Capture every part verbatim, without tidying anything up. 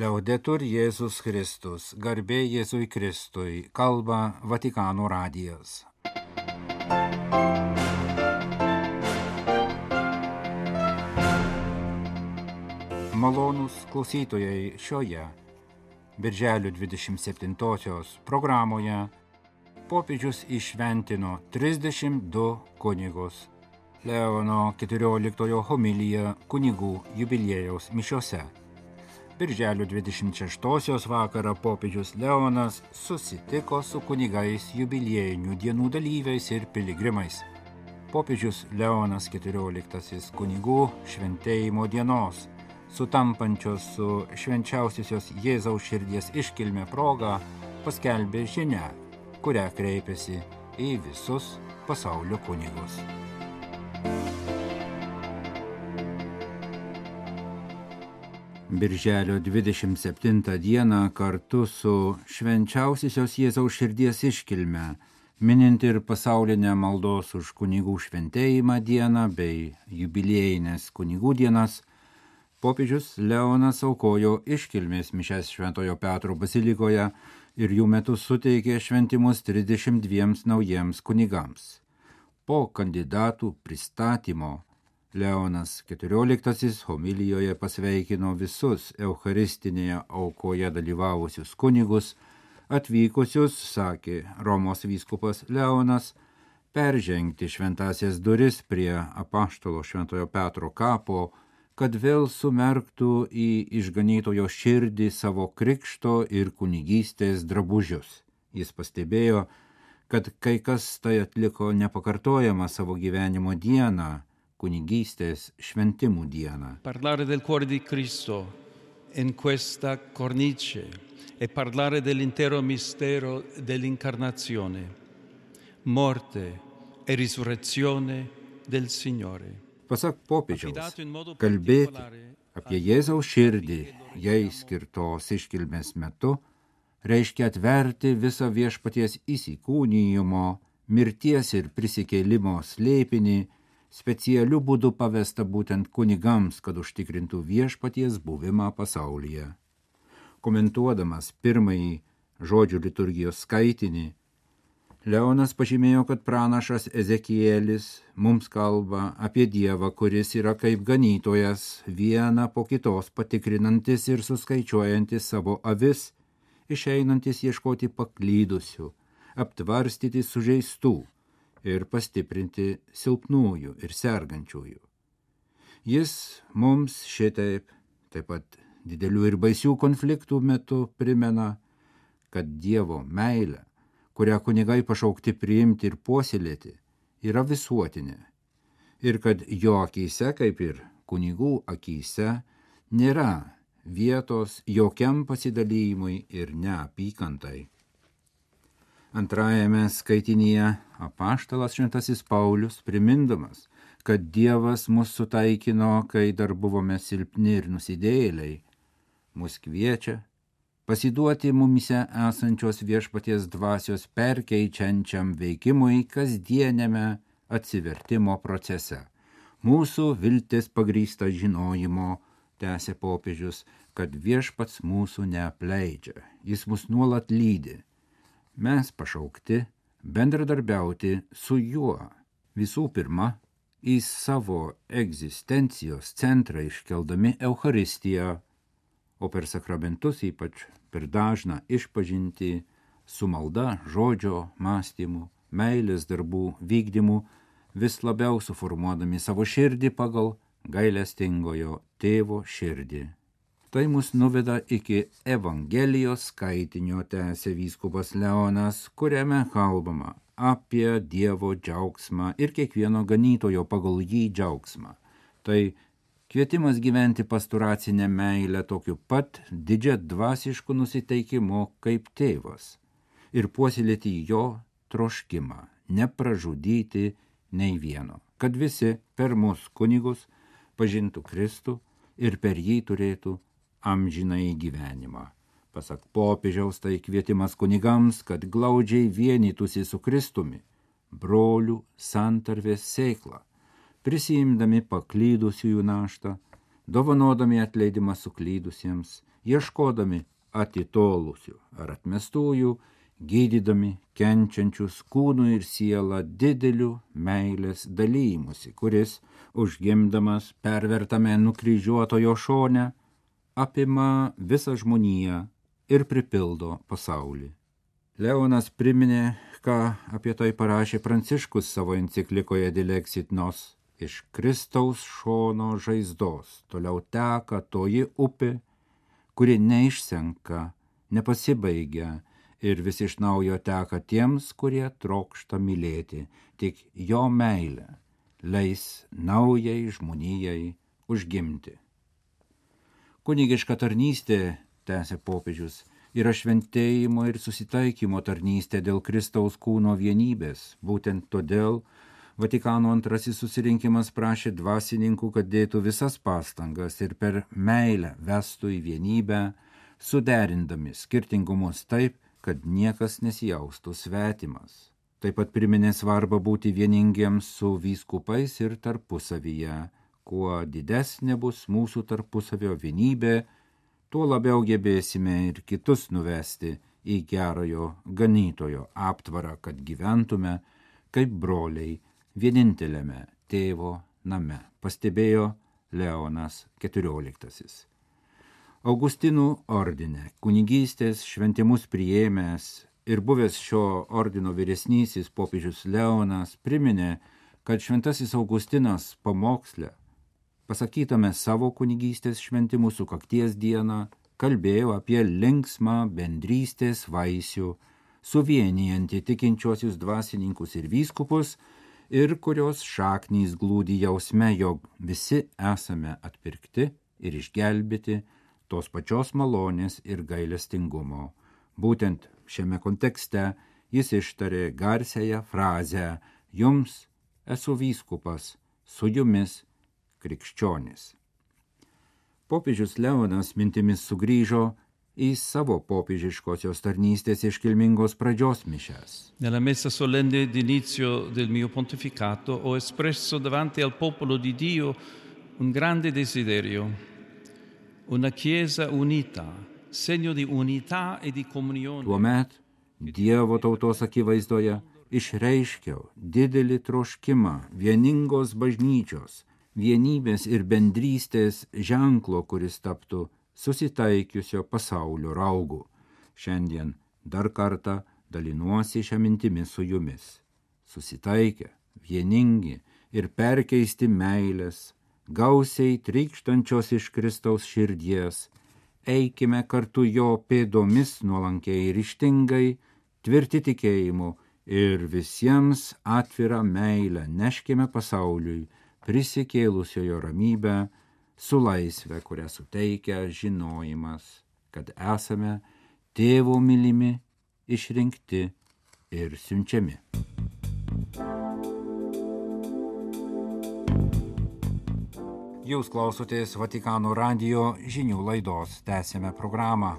Liaudetur Jėzus Kristus, garbė Jėzui Kristui, kalba Vatikano radijas. Malonūs klausytojai, šioje birželio dvidešimt septintosios programoje popiežius įšventino trisdešimt du kunigus. Leono keturioliktojo homilija kunigų jubiliejaus mišiose. Birželio dvidešimt šeštosios vakarą popiežius Leonas susitiko su kunigais jubiliejinių dienų dalyviais ir piligrimais. Popiežius Leonas keturioliktasis kunigų šventėjimo dienos, sutampančios su švenčiausiosios Jėzaus širdies iškilme proga, paskelbė žinią, kurią kreipėsi į visus pasaulio kunigus. Birželio dvidešimt septintą dieną kartu su švenčiausiosios Jėzaus širdies iškilme, minint ir pasaulinę maldos už kunigų šventėjimą dieną bei jubiliejines kunigų dienas, popiežius Leonas aukojo iškilmės mišias Šventojo Petro bazilikoje ir jų metu suteikė šventimus trisdešimt dviems naujiems kunigams. Po kandidatų pristatymo Leonas keturioliktasis homilijoje pasveikino visus eucharistinėje aukoje dalyvavusius kunigus, atvykusius, sakė Romos vyskupas Leonas, peržengti šventasias duris prie apaštalo Šventojo Petro kapo, kad vėl sumerktų į išganytojo širdį savo krikšto ir kunigystės drabužius. Jis pastebėjo, kad kai kas tai atliko nepakartojamą savo gyvenimo dieną, kunigystės šventimų dieną. Parlare del cuore di Cristo in questa cornice e parlare dell'intero mistero dell'incarnazione, morte e risurrezione del Signore. Pasak popiežiaus, kalbėti apie Jėzaus širdį jai skirtos iškilmės metu reiškia atverti visą viešpaties įsikūnijimo, mirties ir prisikėlimo slėpinį, specialiu būdu pavesta būtent kunigams, kad užtikrintų viešpaties buvimą pasaulyje. Komentuodamas pirmąjį žodžių liturgijos skaitinį, Leonas pažymėjo, kad pranašas Ezekielis mums kalba apie Dievą, kuris yra kaip ganytojas, vieną po kitos patikrinantis ir suskaičiuojantis savo avis, išeinantis ieškoti paklydusių, aptvarstyti sužeistų ir pastiprinti silpnųjų ir sergančiųjų. Jis mums šitaip, taip pat didelių ir baisių konfliktų metu primena, kad Dievo meilė, kurią kunigai pašaukti priimti ir puoselėti, yra visuotinė ir kad jo akyse, kaip ir kunigų akyse, nėra vietos jokiam pasidalymui ir neapykantai. Antrajame skaitinyje apaštalas Šventasis Paulius, primindamas, kad Dievas mus sutaikino, kai dar buvome silpni ir nusidėjėliai, mus kviečia pasiduoti mumise esančios viešpaties dvasios perkeičiančiam veikimui kasdienėme atsivertimo procese. Mūsų viltis pagrįsta žinojimo, tęsė popiežius, kad viešpats mūsų neapleidžia, jis mus nuolat lydi. Mes pašaukti bendradarbiauti su juo, visų pirma, į savo egzistencijos centrą iškeldami Eucharistiją, o per sakramentus ypač per dažną išpažintį su malda, žodžio, mąstymu, meilės darbų vykdymu, vis labiau suformuodami savo širdį pagal gailestingojo tėvo širdį. Tai mus nuveda iki Evangelijos skaitinio, tęsė vyskupas Leonas, kuriame kalbama apie Dievo džiaugsmą ir kiekvieno ganytojo pagal jį džiaugsmą. Tai kvietimas gyventi pasturacinę meilę tokiu pat didžia dvasišku nusiteikimu kaip tėvas ir puoselėti jo troškimą, nepražudyti nei vieno, kad visi per mus kunigus pažintų Kristų ir per jį turėtų amžinai gyvenimą. Pasak popiežiaus, tai kvietimas kunigams, kad glaudžiai vienytųsi su Kristumi, brolių santarvės sėkla, prisiimdami paklydusiųjų naštą, dovanodami atleidimą suklydusiems, ieškodami atitolusių ar atmestųjų, gydydami kenčiančius kūnų ir sielą dideliu meilės dalymusi, kuris, užgimdamas pervertame nukryžiuotojo šone, apima visą žmoniją ir pripildo pasaulį. Leonas priminė, ką apie tai parašė Pranciškus savo enciklikoje Dilexit Nos. Iš Kristaus šono žaizdos toliau teka toji upė, kuri neišsenka, nepasibaigia ir vis iš naujo teka tiems, kurie trokšta mylėti, tik jo meilė leis naujai žmonijai užgimti. Kunigiška tarnystė, tęsė popiežius, yra šventėjimo ir susitaikymo tarnystė dėl Kristaus kūno vienybės. Būtent todėl Vatikano antrasis susirinkimas prašė dvasininkų, kad dėtų visas pastangas ir per meilę vestų į vienybę, suderindami skirtingumus taip, kad niekas nesijaustų svetimas. Taip pat priminė svarbą būti vieningiems su vyskupais ir tarpusavyje. Kuo didesnė bus mūsų tarpusavio vienybė, tuo labiau gebėsime ir kitus nuvesti į gerojo ganytojo aptvarą, kad gyventume kaip broliai vieninteliame tėvo name, pastebėjo Leonas keturioliktasis. Augustinų ordine kunigystės šventimus priėmęs ir buvęs šio ordino vyresnysis popiežius Leonas priminė, kad šventasis Augustinas pamoksle, pasakytame savo kunigystės šventimų sukakties dieną, kalbėjo apie linksmą bendrystės vaisių, suvienijantį tikinčiuosius dvasininkus ir vyskupus, ir kurios šaknys glūdi jausme, jog visi esame atpirkti ir išgelbėti tos pačios malonės ir gailestingumo. Būtent šiame kontekste jis ištarė garsiąją frazę «Jums esu vyskupas, su jumis krikščionis». Popiežius Leonas mintimis sugrįžo į savo popiežiškosios tarnystės iškilmingos pradžios mišias. Nella messa solenne d'inizio del mio pontificato ho espresso davanti al popolo di Dio un grande desiderio, una chiesa unita, segno di unità e di comunione. Tuomet Dievo tautos akivaizdoje išreiškiau didelį troškimą vieningos bažnyčios, vienybės ir bendrystės ženklo, kuris taptų susitaikiusio pasaulio raugu. Šiandien dar kartą dalinuosi šią mintimį su jumis. Susitaikę, vieningi ir perkeisti meilės, gausiai trykštančios iš Kristaus širdies, eikime kartu jo pėdomis nuolankiai ir ryžtingai, tvirti tikėjimu ir visiems atvirą meilę neškime pasauliui, prisikėlusiojo ramybę, su laisve, kurią suteikia žinojimas, kad esame tėvo mylimi, išrinkti ir siunčiami. Jūs klausotės Vatikano radijo žinių laidos, tęsėme programą.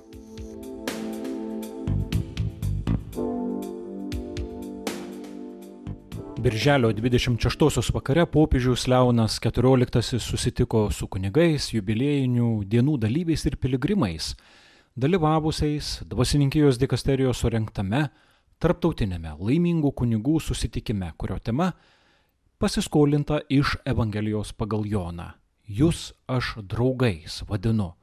Birželio dvidešimt šeštosios vakare popiežius Leonas keturioliktasis susitiko su kunigais, jubiliejinių dienų dalyviais ir piligrimais, dalyvavusiais dvasininkijos dikasterijos surengtame tarptautinėme laimingų kunigų susitikime, kurio tema pasiskolinta iš Evangelijos pagal Joną. Jūs aš draugais vadinu,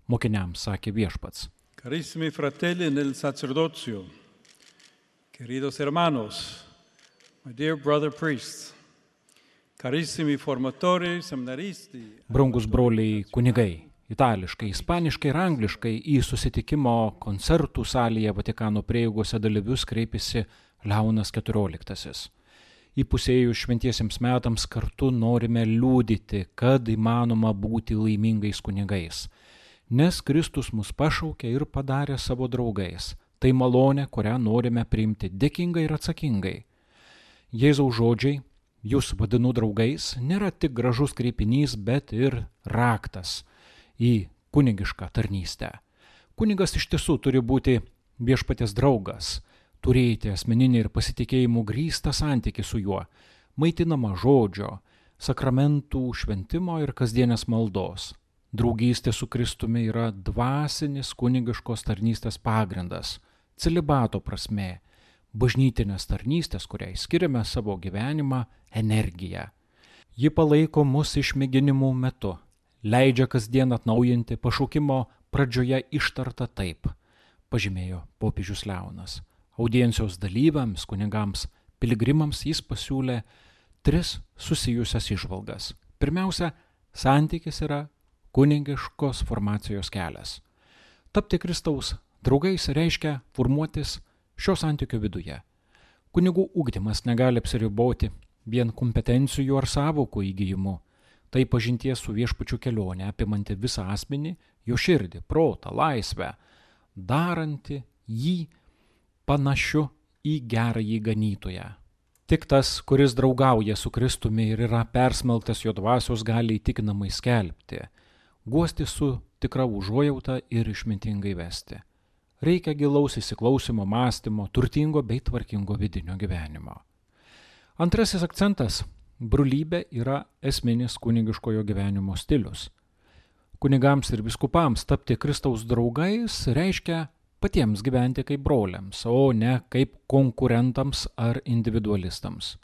mokiniams sakė viešpats. Carissimi fratelli nel sacerdozio, queridos hermanos, my dear brother priests, carissimi formatori, seminaristi. Brangus broliai kunigai, itališkai, ispaniškai ir angliškai į susitikimo koncertų salėje Vatikano prieigose dalyvius kreipėsi Leonas keturioliktasis. Įpusėjus šventiesiems metams kartu norime liudyti, kad įmanoma būti laimingais kunigais, nes Kristus mus pašaukė ir padarė savo draugais. Tai malonė, kurią norime priimti dėkingai ir atsakingai. Jėzaus žodžiai, jūs vadinu draugais, nėra tik gražus kreipinys, bet ir raktas į kunigišką tarnystę. Kunigas iš tiesų turi būti viešpaties draugas, turėti asmeninį ir pasitikėjimų grįstą santykį su juo, maitinama žodžio, sakramentų, šventimo ir kasdienės maldos. Draugystė su Kristumi yra dvasinis kunigiškos tarnystės pagrindas, celibato prasmė, bažnytinės tarnystės, kuriai skiriame savo gyvenimą, energiją. Ji palaiko mus išmėginimų metu, leidžia kasdien atnaujinti pašaukimo pradžioje ištartą taip, pažymėjo popiežius Leonas. Audiencijos dalyviams, kunigams, piligrimams jis pasiūlė tris susijusias įžvalgas. Pirmiausia, santykis yra kunigiškos formacijos kelias. Tapti Kristaus draugais reiškia formuotis šio santykio viduje. Kunigų ugdymas negali apsiriboti vien kompetencijų ar sąvokų įgijimu. Tai pažinties su viešpačiu kelionė, apimanti visą asmenį, jo širdį, protą, laisvę, daranti jį panašiu į gerąjį ganytoją. Tik tas, kuris draugauja su Kristumi ir yra persmelktas jo dvasios, gali įtikinamai skelbti, guosti su tikra užuojauta ir išmintingai vesti. Reikia gilaus įsiklausimo, mąstymo, turtingo bei tvarkingo vidinio gyvenimo. Antrasis akcentas – brolybė yra esminis kunigiškojo gyvenimo stilius. Kunigams ir vyskupams tapti Kristaus draugais reiškia patiems gyventi kaip broliams, o ne kaip konkurentams ar individualistams.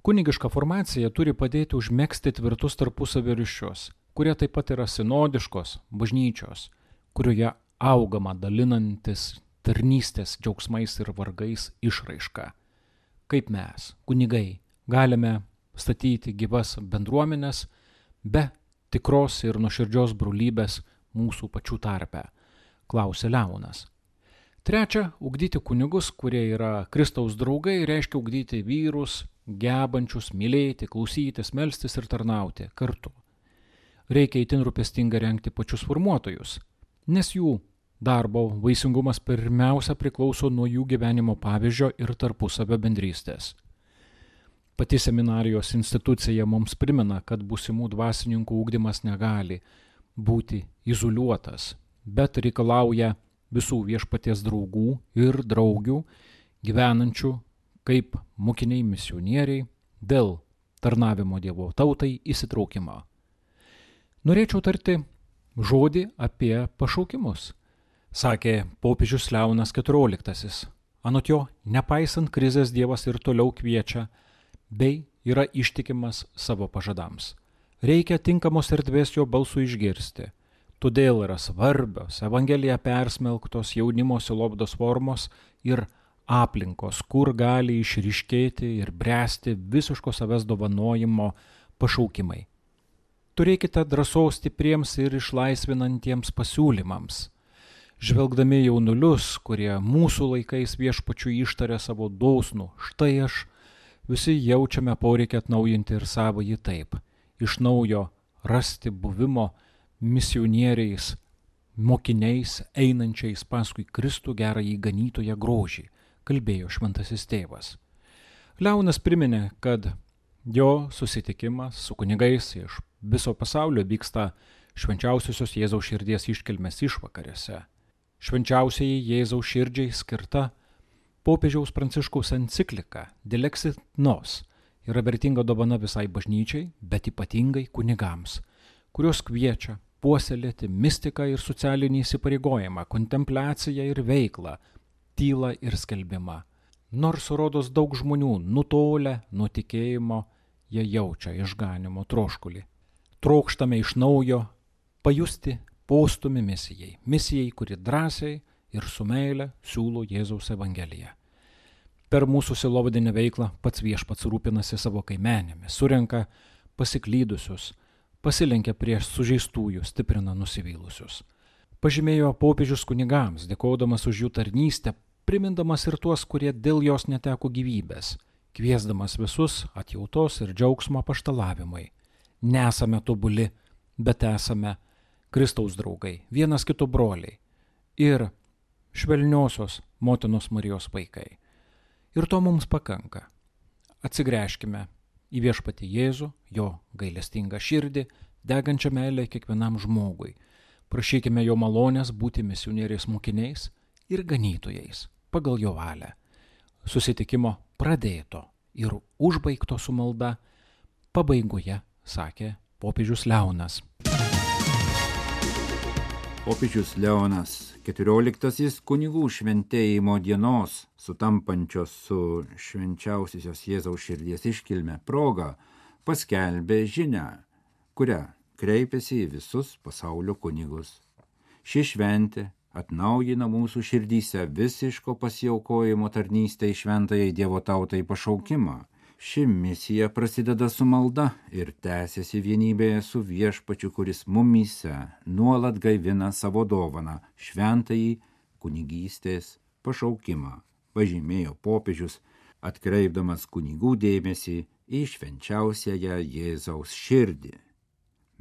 Kunigiška formacija turi padėti užmegzti tvirtus tarpusavio ryšius, kurie taip pat yra sinodiškos bažnyčios, kurioje augama dalinantis tarnystės džiaugsmais ir vargais išraiška. Kaip mes, kunigai, galime statyti gyvas bendruomenės be tikros ir nuoširdžios brolybės mūsų pačių tarpe, klausė Leonas. Trečia, ugdyti kunigus, kurie yra Kristaus draugai, reiškia ugdyti vyrus, gebančius mylėti, klausytis, melstis ir tarnauti kartu. Reikia itin rūpestingai rengti pačius formuotojus, nes jų darbo vaisingumas pirmiausia priklauso nuo jų gyvenimo pavyzdžio ir tarpusavio bendrystės. Pati seminarijos institucija mums primena, kad būsimų dvasininkų ugdymas negali būti izoliuotas, bet reikalauja visų viešpaties draugų ir draugių, gyvenančių kaip mokiniai misionieriai dėl tarnavimo Dievo tautai įsitraukimo. Norėčiau tarti žodį apie pašaukimus, sakė popiežius Leonas keturioliktasis. Anot jo, nepaisant krizės Dievas ir toliau kviečia, bei yra ištikimas savo pažadams. Reikia tinkamos erdvės jo balsų išgirsti. Todėl yra svarbios Evangelija persmelktos jaunimo sielovados formos ir aplinkos, kur gali išryškėti ir bręsti visiško savęs dovanojimo pašaukimai. Turėkite drąsos stipriems ir išlaisvinantiems pasiūlymams. Žvelgdami jaunulius, kurie mūsų laikais viešpačiu ištarė savo dosnų, štai aš, visi jaučiame poreikį atnaujinti ir savąjį taip, iš naujo rasti buvimo misionieriais, mokiniais, einančiais paskui Kristų gerąjį ganytoją grožį, kalbėjo šventasis tėvas. Leonas priminė, kad jo susitikimas su kunigais iš viso pasaulio vyksta švenčiausiosios Jėzaus širdies iškilmės išvakarėse. Švenčiausiai Jėzaus širdžiai skirta popiežiaus Pranciškaus enciklika Dilexit Nos yra vertinga dovana visai bažnyčiai, bet ypatingai kunigams, kurios kviečia puoselėti mistiką ir socialinį įsipareigojimą, kontempliaciją ir veiklą, tylą ir skelbimą. Nors rodos daug žmonių nutolę nuo tikėjimo, jie jaučia išganimo troškulį. Trokštame iš naujo pajusti postūmį misijai, misijai, kuri drąsiai ir su meile siūlo Jėzaus Evangeliją. Per mūsų sielovadinę veiklą pats viešpats rūpinasi savo kaimenėmis, surenka pasiklydusius, pasilenkia prieš sužeistųjų, stiprina nusivylusius. Pažymėjo popiežius kunigams, dėkodamas už jų tarnystę, primindamas ir tuos, kurie dėl jos neteko gyvybės, kviesdamas visus atjautos ir džiaugsmo apaštalavimui. Nesame tobuli, bet esame Kristaus draugai, vienas kito broliai ir švelniosios motinos Marijos vaikai. Ir to mums pakanka. Atsigręžkime į viešpatį Jėzų, jo gailestingą širdį, degančią meilę kiekvienam žmogui. Prašykime jo malonės būti misionieriais mokiniais ir ganytojais pagal jo valią. Susitikimo pradėto ir užbaigto su malda pabaigoje sakė popiežius Leonas. Popiežius Leonas keturioliktasis kunigų šventėjimo dienos, sutampančios su švenčiausiosios Jėzaus širdies iškilme proga, paskelbė žinią, kurią kreipėsi į visus pasaulio kunigus. Ši šventė atnaujina mūsų širdyse visiško pasiaukojimo tarnystę į šventajai Dievo tautai pašaukimą. Ši misija prasideda su malda ir tęsiasi vienybėje su Viešpačiu, kuris mumyse nuolat gaivina savo dovaną, šventąjį kunigystės pašaukimą, pažymėjo popiežius, atkreipdamas kunigų dėmesį į švenčiausiąją Jėzaus širdį.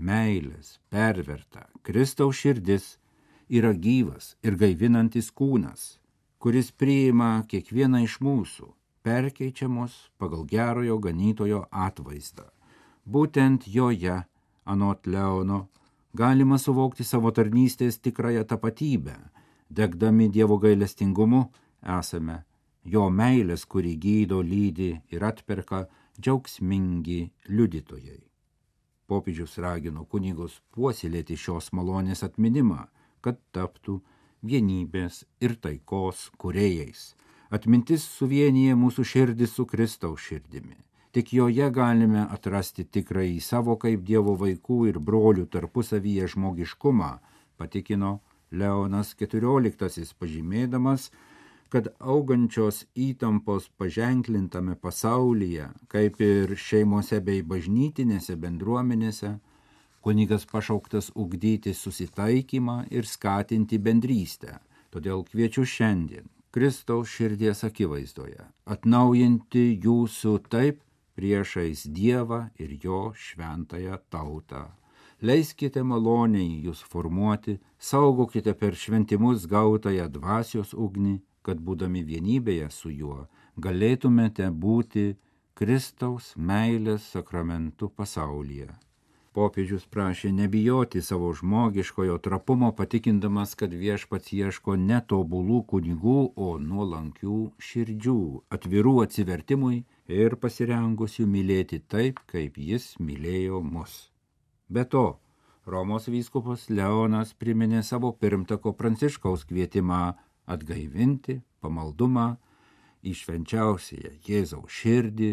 Meilės perverta Kristaus širdis yra gyvas ir gaivinantis kūnas, kuris priima kiekvieną iš mūsų, perkeičiamos pagal gerojo ganytojo atvaizdą. Būtent joje, anot Leono, galima suvokti savo tarnystės tikrąją tapatybę. Degdami Dievo gailestingumu esame jo meilės, kuri gydo, lydi ir atperka džiaugsmingi liudytojai. Popiežius ragino kunigus puoselėti šios malonės atminimą, kad taptų vienybės ir taikos kūrėjais. Atmintis suvienyje mūsų širdį su Kristaus širdimi. Tik joje galime atrasti tikrąjį savo kaip Dievo vaikų ir brolių tarpusavyje žmogiškumą, patikino Leonas keturioliktasis, pažymėdamas, kad augančios įtampos paženklintame pasaulyje, kaip ir šeimose bei bažnytinėse bendruomenėse, kunigas pašauktas ugdyti susitaikymą ir skatinti bendrystę. Todėl kviečiu šiandien Kristaus širdies akivaizdoje atnaujinti jūsų taip priešais Dievą ir jo šventąją tautą. Leiskite maloniai jūs formuoti, saugokite per šventimus gautąją dvasios ugnį, kad būdami vienybėje su juo galėtumėte būti Kristaus meilės sakramentu pasaulyje. Popiežius prašė nebijoti savo žmogiškojo trapumo, patikindamas, kad Viešpats ieško ne tobulų kunigų, o nuolankių širdžių, atvirų atsivertimui ir pasirengusių mylėti taip, kaip jis mylėjo mus. Be to, Romos vyskupas Leonas priminė savo pirmtako Pranciškaus kvietimą atgaivinti pamaldumą į švenčiausiąją Jėzaus širdį,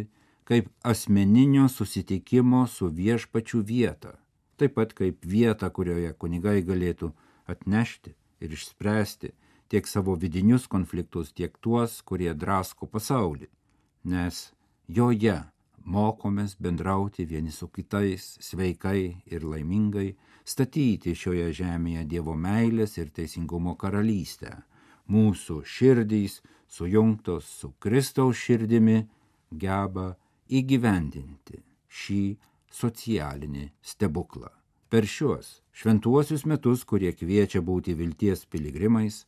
kaip asmeninio susitikimo su Viešpačiu vietą, taip pat kaip vietą, kurioje kunigai galėtų atnešti ir išspręsti tiek savo vidinius konfliktus, tiek tuos, kurie drasko pasaulį, nes joje mokomės bendrauti vieni su kitais sveikai ir laimingai, statyti šioje žemėje Dievo meilės ir teisingumo karalystę. Mūsų širdys, sujungtos su Kristaus širdimi, geba įgyvendinti šį socialinį stebuklą. Per šiuos šventuosius metus, kurie kviečia būti vilties piligrimais,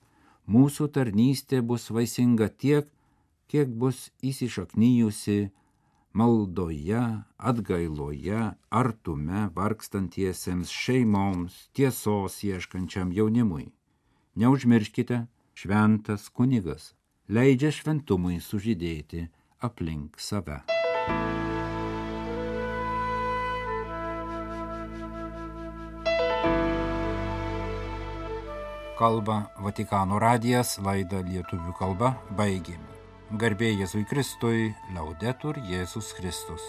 mūsų tarnystė bus vaisinga tiek, kiek bus įsišaknyjusi maldoje, atgailoje, artume vargstantiesiems šeimoms, tiesos ieškančiam jaunimui. Neužmirškite, šventas kunigas leidžia šventumui sužydėti aplink save. Kalba Vatikano radijas, laidą lietuvių kalba baigėme. Garbė Jėzui Kristui, Laudetur Jėzus Kristus.